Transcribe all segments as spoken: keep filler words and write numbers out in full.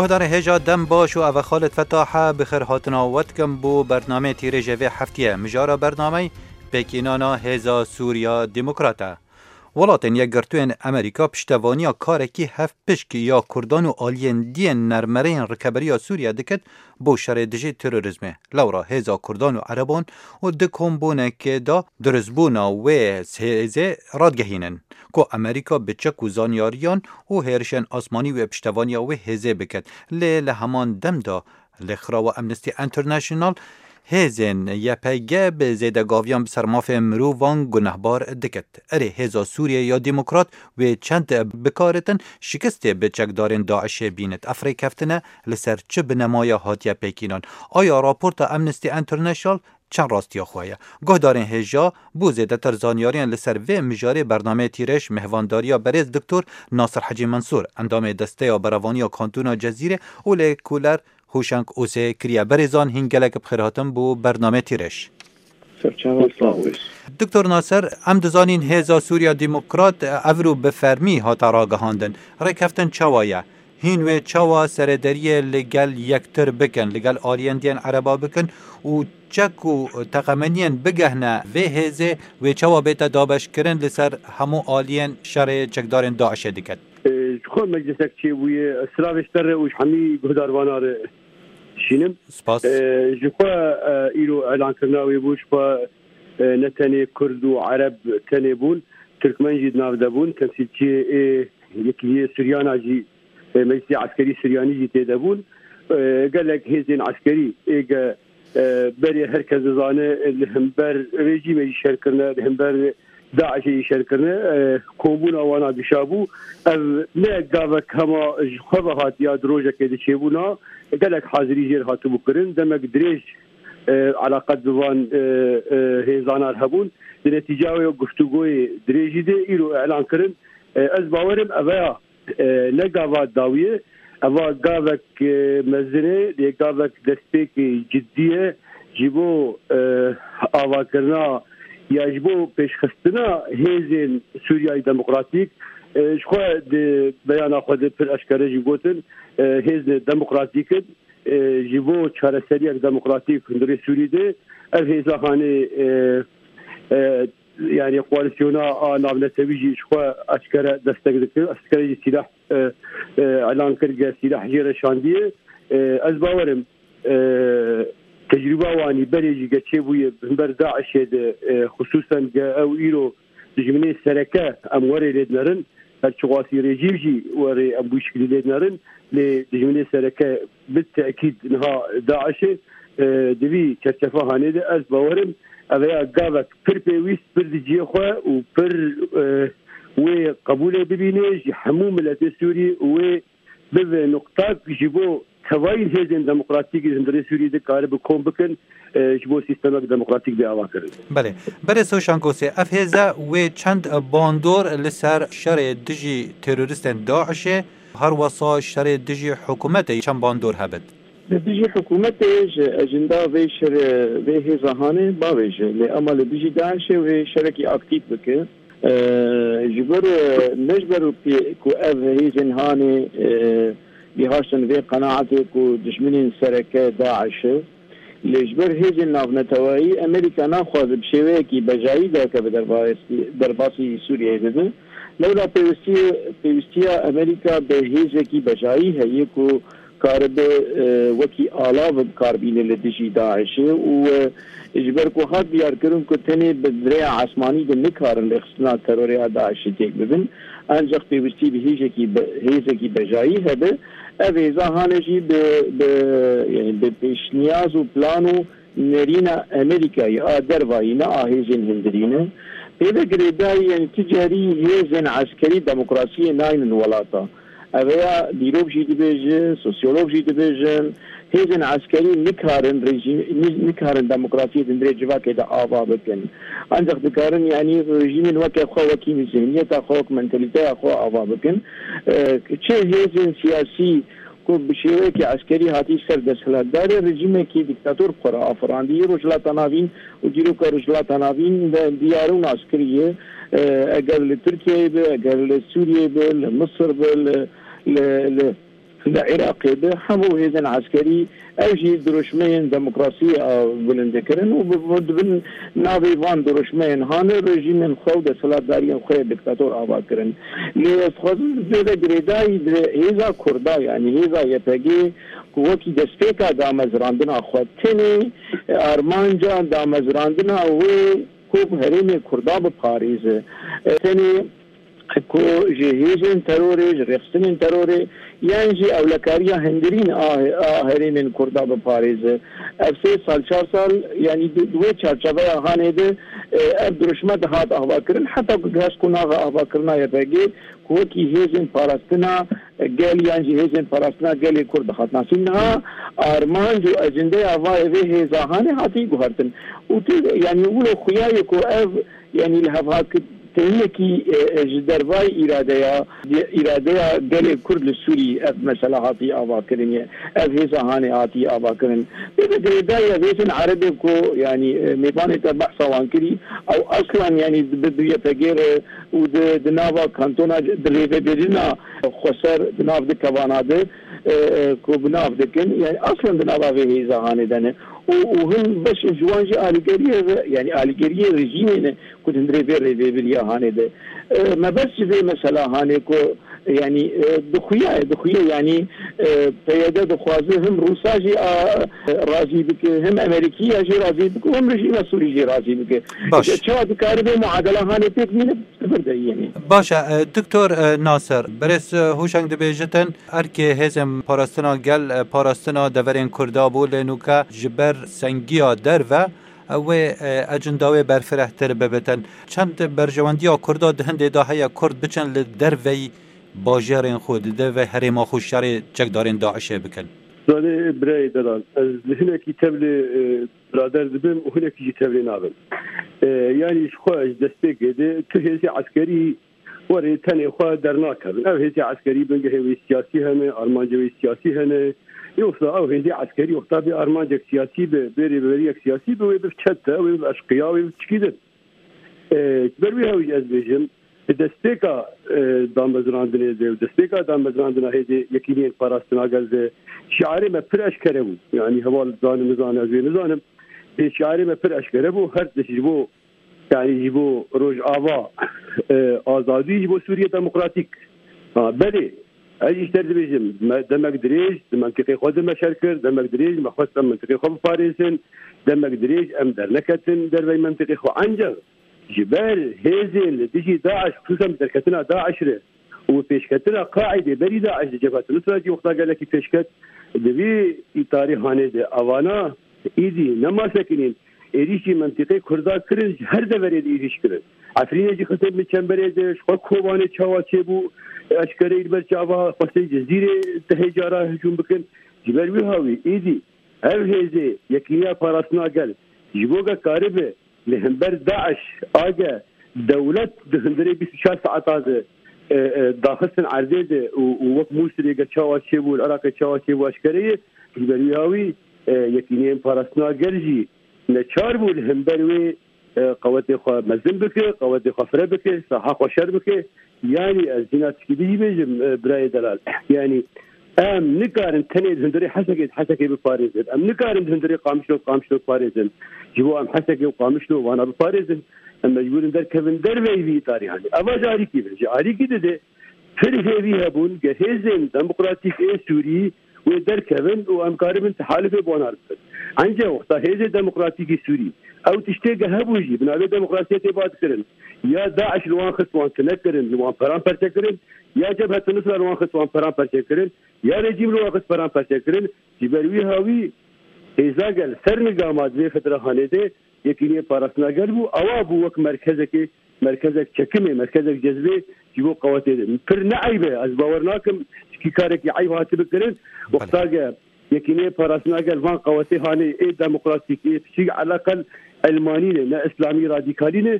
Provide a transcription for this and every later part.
Guhdarên hêja dem baş û ev e Xalid Fetahe bi xêr hatina we dikim bo bernameyê tîrêjê vê heftiyê. Mijara bernameyê pêkînana Hêza Sûriya Demokrat e. Welatên Yekgirtûyên Amerîka piştevaniya karekî hevpişk ya Kurdan û aliyên diyên nermereyên Rikeberiya Sûriye dikit bo şerê dijî terorîzmê. Lewra hêza Kurdan û Ereban û di kombûnekê de dirustbûna wê hêzê radigehînin, ku Amerîka bi çek û zanyariyan û hêrişên asmanî wê piştevaniya wê hêzê bikit. Lê li heman dem de lêxirawa Amnesty International hêzên Y P G bi zêdegaviyan bi ser mafê mirovan gunehbar dikit. Erê, hêza Sûriye ya Demokrat wê çend bikaritin şikestê bi çekdarên DAIŞê bînit. Ev rêkeftin e li ser çi binemaya hatiye pêkînan? Aya raporta Amnesty International çend rastiya xwe ye? Guhdarên hêja, bo zêdetir zanyariyan li ser vê mijarê bernameyê Tîrêj mêhvandariya berêz Doktor Nasir Hecî Mensûr, endamê Desteya Berevaniya Kantona Cezîrê û lêkoler Hûşeng Ose kiriye. Berêzan, hîn gelek bi xêr hatin bo bernameyê Tîrêj. Serçava sağ ol. Doktor Nasir, em dizanîn Hêza Sûriya Demokrat evro bi fermî hate ragihandin. Rêkeftin çawa ye? Hîn wê çawa serederiyê li gel yektir bikin, li gel aliyên diyên Ereba bikin û çek û teqemeniyên bigehne vê hêzê, wê çawa bête dabeşkirin li ser hemû aliyên şerê çekdarên DAIŞê diket? Ji xwe meclisek çêbûye, silavê ji te re û ji hemî guhdarvana re dişînim. Spas. Ji xwe, îro elankirina wê bû, ji xwe, ne tenê Kurd û Ereb tenê bûn, Tirkmen jî di nav de bûn, temsîlçiyê ê Yekîtiyê Suryana jî, e, Meclisê Eskerî Suryanî jî tê de bûn. E, gelek hêzên eskerî ê ge, e, berê her kes dizane, e, li hember rejîmê jî şer kirine, li hember DAIŞê jî şer kirine, e, kombûna wana dişa bû. Ev ne gavek hema ji xwe ve hatiya di rojekê de çêbûna, gelek hazirî jêr hatibû kirin. Demek dirêj, e, eleqet bi van, e, e, hêzana re hebûn. Di netîca wê guftûgoyê dirêjî de îro elan kirin. E, ez bawerim ev ya, e, ne gava dawiyê, eva gavek, e, mezin e, lê gavek destpêkê cidî ye ji bo, e, avakirina ya ji bo pêşxistina hêzên Sûriyayê Demokratîk. E, ji xwe di beyana xwe de pir eşkere jî gotin, e, hêzên demokratîk in, e, ji bo çareseriyek demokratîk hundirê Sûrî de ev hêza hanê, e, e, yani koalisyona a navnetewî jî ji xwe eşkere destek dikir, eşkere jî sîlah, e, e, elan kir, ge sîlah jê re şandiye. E, ez bawerim, e, tecrûba wanî berê jî ge çêbûye hember DAIŞê de, e, xisûsen ge ew îro dijminê sereke em werê lê dinerin, her çiqasî rejîm jî werê em bû şikilî lê dinerin, lê dijminê sereke bi tekîd niha DAIŞê, e, di vî çerçefa hanê de ez bawerim, ev ya gavek pir pêwîst, pir di cihê xwe û pir, e, wê qebûlê bibîne ji hemû miletê Sûrî û wê bibe nuqtak ji bo tevayî hêzên demokratîk li hundirê Sûrî de karibe kom bikin, e, ji bo sîstemek demokratîk bê avakirin. Belê. Berê Soşan Gosê, ev hêze wê çend bandor li ser şerê dijî teroristên DAIŞê, her wesa şerê dijî hikûmetê çend bandor hebit? Li dijî hikûmetê ji ejenda vê şerê, vê hêza hanê bavêje, lê ema li dijî DAIŞê wê şerekî aktîf bike. E, ji ber, e, ne ji ber pê-, ku ev hêzên hanê, e, gihaştin vê qenaetê ku dijminên sereke DAIŞ e. Lê ji ber hêzên navneteweyî Amerîka naxwaze bi şêweyekî bejayî derkeve derbasî, derbasî Sûriyeyê bibe. Lewla pêwistiyê, pêwistiya Amerîka bi hêzekî bejayî heye ku karibe, e, wekî alav bi kar bîne li dijî DAIŞê û, e, ji ber ku hat diyarkirin ku tenê bi bi rêya esmanî de nikarin rêxistina terorê ya DAIŞê têk bibin, ancaq pêwistî bi hêjekî be-, hêzekî bejayî hebe. Ev hêza hane jî bi, bi, yani bi pêşniyaz û plan û nerîna Amerîkayê a dervayî ne a hêzên hundirî ne. Pê ve girêdayî, yani tu carî hêzên eskerî demokrasiyê naynin welata. Ev ya dîrok jî dibêje, sosyolog jî dibêjin, hêzên eskerî nikarin rejîm-, ni-, nikarin demokrasiyê di hundirê civakê de ava bikin. Ancaq dikarin, yanî rejîmên weke xwe, wekî zihniyeta xwe, wek mentalîteya xwe ava bikin. E, çi hêzên siyasî ku bi şêweyekî eskerî hatî ser desthilatdarê, rejîmekî dîktator bi xwe re afirandî. Rojhilata Navîn û dîroka Rojhilata Navîn de diyar û nas kiriye. E, eger li Tirkiyeyê be, eger li Sûriyeyê be, li Misir be, li, li, li, Li Iraqê de hemû hêzên eskerî ev jî dirûşmeyên demokrasiyê a bilind dikirin û bi, bi, di bin navê van dirûşmeyên hane rejîmên xwe û desthilatdariyên xwe yê diktator ava kirin. Lê ez dixwazim vê ve girêdayî di hêza Kurda, yanî hêza Y P G, ku wekî destpêka damezrandina xwe tenê armanca damezrandina wê ku herêmê Kurda biparêze. Tenê ku ji hêzên terorê, ji rêxistinên terorê yan jî ewlekariya hundirîn a, a herêmên Kurda biparêze. Ev sê sal, çar sal, yanî di, di wê çarçeveya hanê de, e, ev dirûşme dihat avakirin, heta ku gihişt qonaxa avakirina Y P G, ku wekî hêzên parastina gel yan jî hêzên parastina gelê Kurd dihat nasîn. Niha armanc û ecendeya va vê hêza hanê hatî guhertin. Û tu, yanî wilo xuya ye ku ev, yanî li hevhaktiniyekî, e, e, ji dervayî îradeya, îradeya gelê Kurd li Sûrî ev mesela hatî avakirin ye. Ev hêza hanê hatî avakirin. Vê ve girêdayî ev hêzên Erebê ku, yanî, e, mêvanê te behsa wan kirî, ew aslan, yanî, bi, bi Y P G re û di, di nava kantona di rêvebirina xweser di nav di kevana de, e, e, ku bi nav dikin, yanî aslan di nava vê hêza hanê de ne. Û, û hin beş ji wan jî alîgeriyê ve, yanî alîgeriyê rejîmê ne ku di hundirê vê rêvebiriya hanê de. E, mebest ji vê mesela hanê ku, yanî, e, dixuya, dixuya, yanî, e, P Y D dixwaze him Rûsa jî a, razî bike, him Amerîkiya jî razî bike, him rejîma Sûrî jî razî bike. Baş. Çawa dikare vê muadela hanê pêk bîne, sifir de yînî. Baş e, e, Doktor, e, Nasir, berêz, e, Hûşeng dibêjitin, erkê hêzên parastina gel, e, parastina deverên Kurda bû, lê nûke ji ber sengiya derve, e, wê, e, ecinda wê berfirehtir bibitin. Çend berjewendiya Kurda di hindê de heye Kurd biçin li derveyî bajêrên xwe, di derveyî herêma xwe şerê çekdarên DAIŞê bikin? Zanê birayê delal, ez li hinekî tevlê, e, birader dibim û hinekî jî tevlê nabim. E, yanî ji xwe ji destpêkê de tu hêzê eskerî werê tenê xwe dernakevin. Ev hêzê eskerî bingehê wê siyasî hene, armancê wê siyasî hene. Yoksa ew hêzê eskerî wexta bê armancek siyasî be, bê rêveberiyek siyasî be, wê biv çete, wê biv eşqiya, wê biv çikî din. E, ji ber wî hewî ez bêjim, di destpêka, e, damezrandinê de û destpêka damezrandina hêzê yekîniyên parastina gel de şiarê me pir eşkere bû. Yanî heval dizane nizane, ez wê nizanim. Ê şiarê me pir eşkere bû. Her tişt ji bo, yanî ji bo Rojava, e, azadî, ji bo Sûriye demokratîk. Ha, belê, ez jî ji te re dibêjim, me demek dirêj di mentiqê xwe de me şer kir, demek dirêj me xwest em mentiqê xwe biparêzin, demek dirêj em derneketin dervey mentiqê xwe. Ancak ji ber hêzên li dijî DAIŞ, xisûsen bi derketina DAIŞ re û bi pêşketina Qaîdê berî DAIŞ di Cebhet Nusra jî wexta gelekî pêşket, di vî îtarî hanê de evana îdî nema sekinîn, êrîşî mentiqê Kurda kirin, ji her deverê de êrîş kirin. Efrînê jî xistin bi çemberê de, ji xwe Kobanê çawa çêbû, eşkereyî li ber çava xwestê Cizîrê tehê cara hicûm bikin. Ji ber wî hawî îdî ev hêzê Yekîniya Parastina Gel ji bo ge karibe li hember DAIŞ age dewlet di hundirê bîst û çar saeta de, e, e, daxistin erdê de û, û wek Mûsilê ge çawa çêbû, li Iraqê çawa çêbû eşkere ye. Ji ber wî hawî, e, Yekîneyên Parastina Gel jî neçar bû li hember wê, e, qewetê xwe mezin bike, qewetê xwe fire bike, saha xwe şer bike. Yanî ez dîna tişkî din jî bêjim, e, birayê delal. Yanî em nikarin tenê di hundirê Hesekê, Hesekê biparêzin. Em nikarin di hundirê Qamişlo, Qamişlo biparêzin. Ji bo em Hesekê û Qamişlo vana biparêzin, em mecbûr in derkevin derveyî vî îtarî hanê. Eva ji alîkî ve, ji alîkî dide pir hêvî hebûn ge hêzên demokratîk ê Sûrî wê derkevin û em karibin tehalifê bi wan re bikin. Ence wexta hêzê demokratîkî Sûrî ew tiştê ge hebû jî bi navê demokrasiyê tê bad kirin. Ya DAIŞ li wan xist wan tune kirin, li wan peran perçe kirin, ya Cebhet Nusra li wan xist wan peran perçe kirin, ya rejîm li wan xist peran perçe kirin. Ji ber wî hawî hêza gel ser nigama di vê fetira hanê de Yekîniyê Parastina Gel bû, ewa bû wek merkezekê, merkezek çekimê, merkezek cezbê ji bo qewetê de. Pir ne eyb e, ez bawer nakim, çikî karekî eyb hatibe kirin. Belê. Wexta ge Yekîniyê Parastina Gel van qewetê hanê ê demokratîk, ê piçîk eleqel elmanî ne, ne îslamî radîkalî ne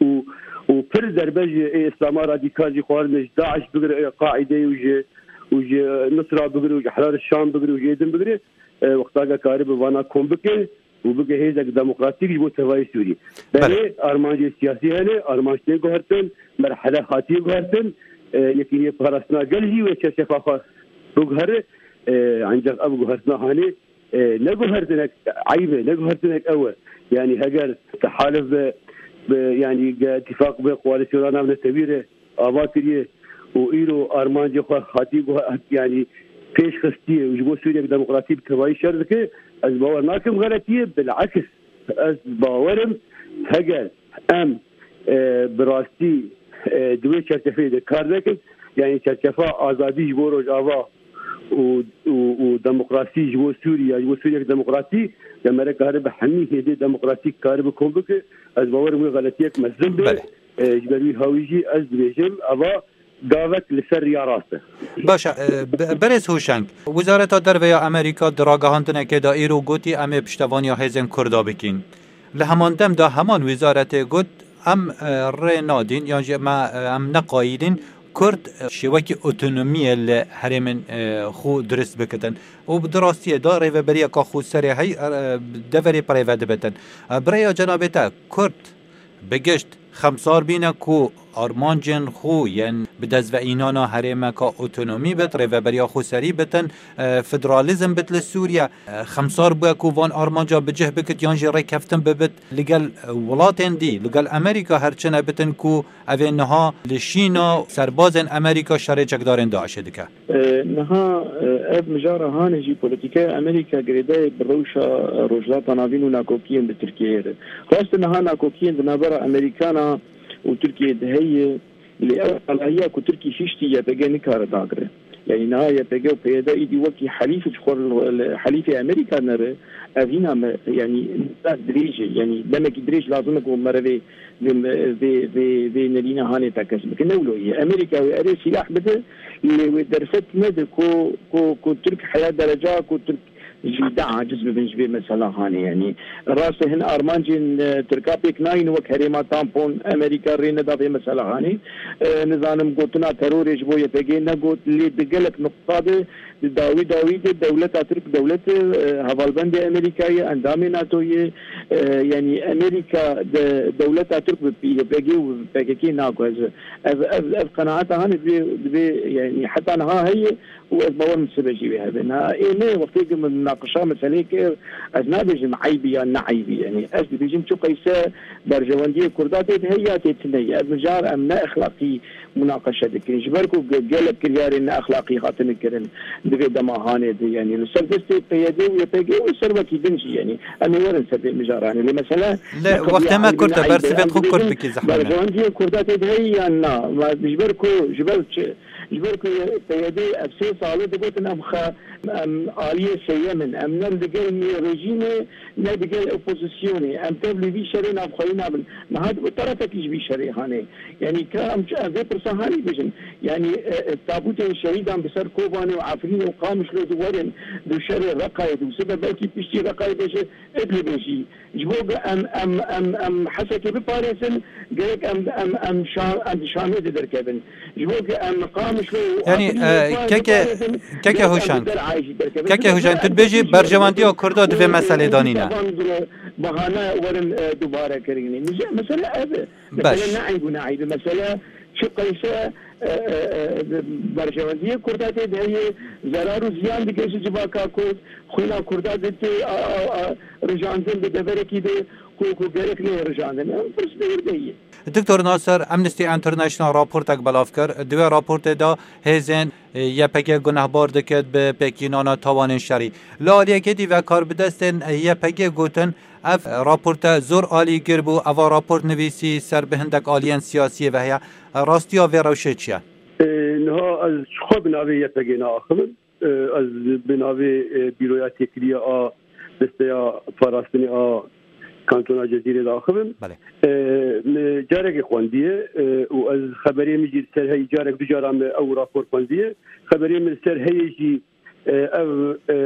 û, û pir derbe ji ê îslama radîkal jî xwarine, ji DAIŞ bigire, ê Qaîdeyê û ji, û ji Nusra bigire û ji Ehrar Şam bigire û ji ê din bigire, e, wexta ge karibe vana kom bike, û bike hêzek demokratîk ji bo tevayê Sûrî. Belê. Belê, armancê siyasî hene, armanc tên guhertin, merhele hatiye guhertin, e, Yekîniyê Parastina Gel jî wê çerçefa xwe biguhere. E, ancak ev guhertina hanê, e, ne guhertinek eyb e, ne guhertinek ew e. Yani heger tehalif be, be, yani ge ittifaq be, koalisyona navnetewî re ava kiriye û îro armancê xwe hatî guhe-, yani pêş xistiye û ji bo Sûriyek demokratî bi tevayî şer dike, ez bawer nakim xeletiye, bileks ez bawerim heger em, e, bi rastî, e, di wê çerçeveyê de kar nekin, yani çerçefa azadî ji bo Rojava û, û, û demokrasî ji bo Sûriye, ji bo Sûriyek demokratî, demerek kare bi hemî hêdê demokratîk kare bi kom bike, ez bawerim wê xeletiyek mezin be. Belê. E, ji ber wî hawî jî ez dibêjim, eva gavek li ser riya rast e. Baş e, be-, berêz Hûşeng, Wizareta Derve ya Amerîka di ragihandinekê de îro gotî, em ê piştevaniya hêzên Kurda bikîn. Li heman dem de heman wizaretê got, em, e, rê nadîn, yan jî me, e, em neqayîlîn Kurd, e, şêwekî otonomiyê li herêmên, e, xwe dirist bikitin. Û bi di rastiyê de rêveberiyeka xweserê hey, e, deverê bi rêve dibitin. E, bi rêya cenabê te Kurd bi gişt xemsar bîne ku armancên xwe yên bi dest ve înana herêmeka otonomî bit, rêveberiya xweserî bitin, e, federalîzm bit li Sûriye. E, xemsar bûye ku van armanca bi cih bikit yan jî rêkeftin bibit li gel, e, welatên dî, li gel Amerîka her çi ne bitin ku ev ê niha li Şîna serbazên Amerîka şerê çekdarên DAIŞê dike. E, niha, e, ev mijara hanê jî polîtîkaya Amerîka girêdayê bi rewşa, e, Rojhilata Navîn û nakokiyên bi Tirkiyeyê re. Rast e, niha nakokiyên di navbera Amerîkana û Tirkiyeyê de heye, lê ew alahiya ku Tirkî hiştî Y P G nikare dagire. Yanî niha Y P G û P Y D îdî wekî helîf ji xwe li, li helîfê Amerîka nere, ev hîna me, yanî dirêj e, yanî demekî dirêj lazim e ku mere vê vê, vê, vê, vê nerîna hanê tekez bike. Ne wilo ye. Amerîka wê erê sîlah bide, lê wê derfet nede ku, ku, ku Tirk heya dereca ku Tirk jî de aciz bibin ji vê mesela hanê. Yanî rast e, hin armancên, e, Tirka pêk nayîn wek herêma tampon, Amerîka rê neda vê mesela hanê. E, nizanim gotina terorê ji bo Y P G negot, lê di gelek nuqta de Di dawî dawî de dewleta Tirk dewlet e, hevalbendê Amerîka ye, endamê nato ye. E, yanî Amerîka de dewleta Tirk bi Y P G û bi P K K naguheze. Ev, ev, ev qenaeta hanê divê, divê, yanî heta niha heye û ez bawer min sibe jî wê hebe. Na, ê me wextê ku min munaqişa meseleyê kir, ez nabêjim eybî ya ne eybî. Yanî ez dibêjim çi qeyse berjewendiyê Kurda tê de heye ya tê tune ye. Ev mijar em ne exlaqî munaqeşe dikin. Ji ber ku ge-, gelek kiryarên ne exlaqî hatine kirin di vê dema hanê de, yanî li ser destê P Y D û Y P G û li ser wekî din jî, yanî em ê werin ser vê mijaranê. Lê mesele Lê ne qediya wextê me kurt e, eybê. Bersivê Em xwe kurt dibêjin bikî zehmet me. Berjewendiyê Kurda tê de heye yan na? Ma ji ber ku, ji ber çi? Ji ber ku P Y D ev sê sal e digotin em xe-, em aliyê sêyem in. Em ne li gel rejîmê ne digel opozisyonê. Em tev li vî şerê navxweyî nabin. Niha di terefekî ji vî şerê hanê. Yanî ka em çi, em vê pirsa hanî bêjin. Yanî, e, e, tabûtên şehîdan bi ser Kobanê û Efrînê û Qamişlo di werin, di şerê Reqayê di wise de belkî piştî Reqayê bêje Idlibê jî. Ji bo ku em, em, em, em Hesekê biparêzin, gerek em, em, em Şa-, em di Şamê de derkevin. Ji bo ku em Qamişlo û Yanî, Efrînê e, parê keke, biparêzin, keke gerek em Hûşeng. Bi Derayê jî derkevin. Keke Ji bo Hûşeng, tu dibêjî berjewendîya Kurda divê meselê danîne. Bahane werin, e, dubare kirinê. Mije-, mesele ev e. Mesele Baş. Ne eyb û ne eyb e. Mesele çi qeyse, e, e, e, berjewendiyê Kurda tê de heye, zerar û ziyan dike ji civaka Kurd, xwîna Kurda dite, a, a, a, rijandin di deverekî de ku, ku gerek neyê rijandin. Ew pirs li wir de ye. Doktor Nasir, Amnesty International raportek belav kir. Di wê raportê de hêzên, e, Y P G gunehbar dikit bi pêkînana tawanên şerî. Li aliyekê dî ve karbidestên Y P G gotin, ev raporte zor alîgir bû, eva raport nivîsî ser bi hindek aliyên siyasiyê ve heye. Rastiya vê rewşê çi ye? E, niha ez ji xwe bi navê Y P G naaxivim. E, ez bi navê, e, Bîroya Têkiliya a Desteya Parastinê a Kantona Cezîrê diaxivim. Belê. E, min carekê xwendiye, e, û ez xeberê min jî li ser heyî carek du caran min ew rapor xwendiye. Xeberê min li ser heyê jî, e, ev, e,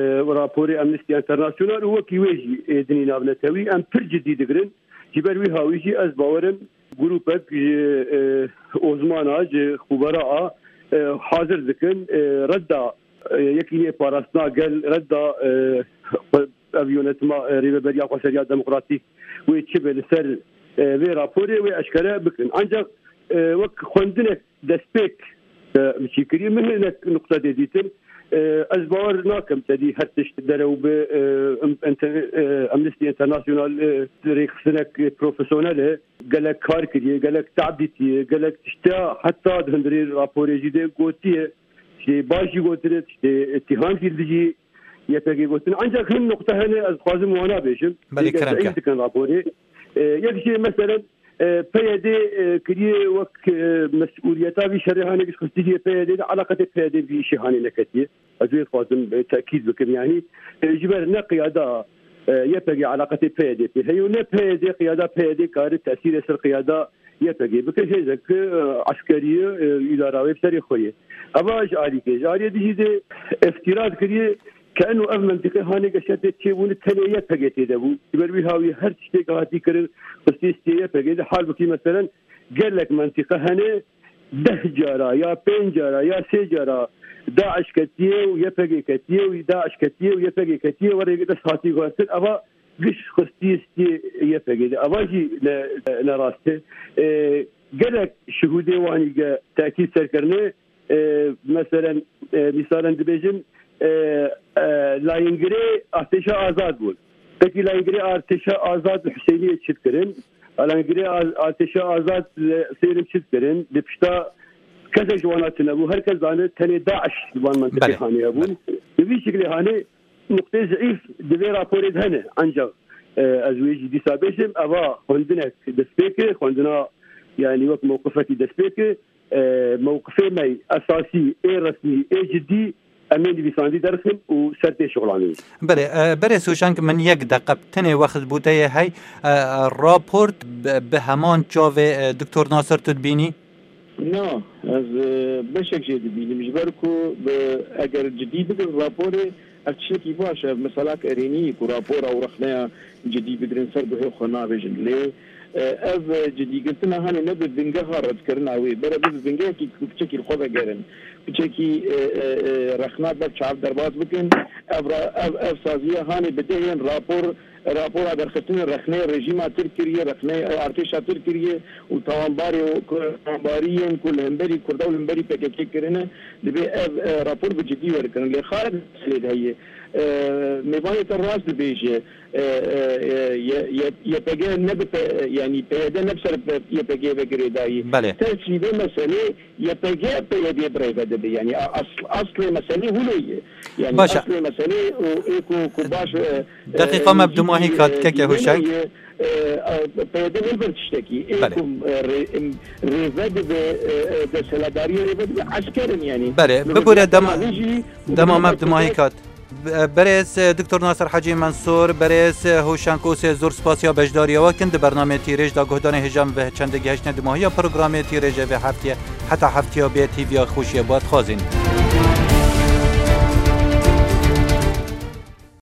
raporê Amnesty International û wekî wê jî, e, dinî navnetewî em pir cidî digirin. Ji ber wî hawî jî ez bawerim grûpek ji, e, ozmana, ji xubera a, e, hazir dikin, e, redda, e, yekînê parastina gel, redda, e, xwe, ev yönetima, e, rêveberiya xweseriya demokratîk wê çi be li ser, e, vê raporê wê eşkere bikin. Ancak, e, wek xwendinek destpêk, e, çîkirî min hinek nuqtedê dîtin. E, ez bawer nakim tedî her tişt derew bi, e, em-, enter-, e, Amnesty International, e, rêxistinek profesyonel e. Gelek kar kiriye, gelek tab dîtiye, gelek tişta heta di hundirê raporê jî de gotiye. Tiştê baş jî gotine, tiştê îttiham jî li dijî Y P G gotin. Ancak hin nuqte hene ez dixwazim wana bêjim. Belê, Êger kerem zehîf ke. Dikin raporê. E, yek jê meselen, e, P Y D, e, kiriye wek, e, mesûliyeta vî şerê hanê giş xistî jî P Y D de eleqetê P Y D vî işê hanê neketiye. Ez wê dixwazim, e, tekîd bikim. Yani, e, ji ber ne qiyada, e, Y P G eleqetê P Y D pê heye û ne P Y D qiyada P Y D kare tesîrê ser qiyada Y P G bike, hêzek, e, eskerî ye, e, îdara wê bi serê xwe ye. Eva ji alîkê, ji aliyê dijî de îftîra dikiriye ke eno ev mentiqê hanê geşetê çêbûne tenê Y P G tê de bû. Ji ber wî hawî her tiştê ke hatî kirin, xistî stê Y P G de. Halbukî meselen gelek mentiqe hene, deh cara ya pênc cara ya sê cara DAIŞ ketiye û Y P G ketiye û DAIŞ ketiye û Y P G ketiye, werê dest hatî guhertin. Eva giş xistî stê Y P G de. Eva jî ne, ne rast e. E, gelek şihûdê wanî ge tekîd ser kirine, e, meselen, e, mîsalen dibêjin, e, e, layîngirê artêşa azad bûn. Pekî layîngirê artêşa azad li Husêniyê çi dikirin? Layîngirê a-, artêşa azad li Sêrim çi dikirin? Di pişta kesek ji wana tune bû. Her kes zane tenê DAIŞ li van mentiqê Belê. Hanê hebûn. Belê. Bi vî şiklê hanê nuqtê zîf di vê raporê de hene. Ancak, e, ez wê jî dîsa bêjim, eva xwendinek destpê kir, xwendina, yani wek mewqifekî destpê kir, e, mewqifê me esasî, ê resmî, ê cidî, em ê nivîsandî derxin û ser tê şixulanîn. Belê, e, berêz Hûşeng, min yek deqe tenê wext bû te yê hey, e, raport bi, bi heman çavê, e, Doktor Nasir tu dibînî? Na, ez, e, beşek jê dibînim. Ji ber ku bi, eger cidî bigrin raporê, ev tiştekî baş e. Ev meselak erênî ku rapora û rexneya cidî bigrin ser guhê xwe nabêjin. Lê, e, ev, e, cidîgirtina hanê ne bi bingeha redkirina wê, bere bi bingehekî ku piçekî li xwe vegerin. Piçekî, e, e, e, rexna ber çav derbas bikin. Ev ra-, ev, ev saziya hanê bi dehên rapor Rapora derxistinê rexneyê rejîma Tirk kiriye, rexneyê artêşa Tirk kiriye û tawanbarê û ku-, tawanbariyên ku li hemberî Kurda û li hemberî P K K kirine, dibê ev, e, rapor bi cidî werkirin. Lê xalek meselê de heye. E, mêvanê te rast dibêje. E, e, e, ye-, ye-, Y P G ne bi P-, yani P Y D ne bi ser P-, Y P G ve girêdayî. Belê. Tersî vê meselê Y P G P Y D bi rê ve dibe. Yani a-, asl-, aslê meselê hûlê ye. Yani Baş e. Aslê meselê û ê ku, ku baş, e, Deqîqa me bi dumahî kat keke Huşek. P Y D ne ber tiştekî. Ê Belê. Ku, e, rê-, em, rêve dibe, e, e, desthilatdariyê rêve dibe esker in yani. Belê, bibûre dema-, dema me bi dumahî kat. Berêz, e, Doktor Nasir Hecî Mensûr, berêz, e, Hûşenk Ûsê, zor spasiya beşdariya we kin di bernamê Tîrêj de. Guhdarên hêja min ve çendê gihiştine dimahiya programê Tîrêj e vê heftiye. Heta heftiya bê tîviya xweşiye bi we dixwazîn.